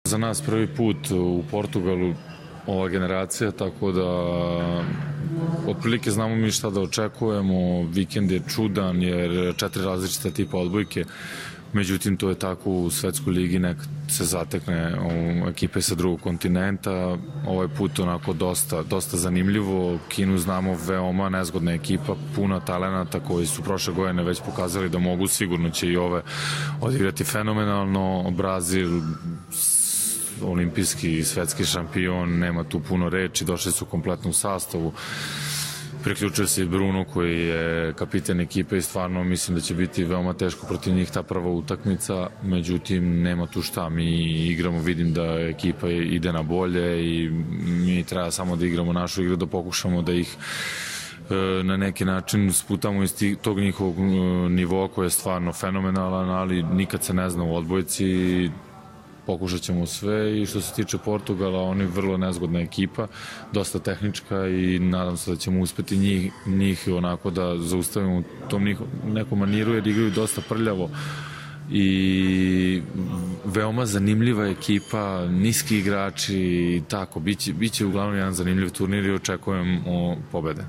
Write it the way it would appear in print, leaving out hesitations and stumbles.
Za nas prvi put u Portugalu ova generacija, tako da otprilike znamo mi šta da očekujemo. Vikend je čudan jer 4 različite tipa odbojke, međutim to je tako u svetskoj ligi, nek se zatekne ekipe sa drugog kontinenta. Ovaj put onako dosta zanimljivo. Kinu znamo, veoma nezgodna ekipa, puna talenata koji su prošle godine već pokazali da mogu, sigurno će i ove odigrati fenomenalno. Brazil, olimpijski i svetski šampion, nema tu puno reči, došli su kompletno u sastavu. Priključio se i Bruno koji je kapiten ekipe i stvarno mislim da će biti veoma teško protiv njih ta prva utakmica, međutim nema tu šta, mi igramo, vidim da ekipa ide na bolje i mi treba samo da igramo našu igru, da pokušamo da ih na neki način sputamo iz tog njihovog nivoa koji je stvarno fenomenalan, ali nikad se ne zna u odbojci. Pokušat ćemo sve i što se tiče Portugala, oni vrlo nezgodna ekipa, dosta tehnička i nadam se da ćemo uspeti njih onako da zaustavimo u tom nekom maniru jer igraju dosta prljavo i veoma zanimljiva ekipa, niski igrači i tako, biće uglavnom jedan zanimljiv turnir i očekujem pobede.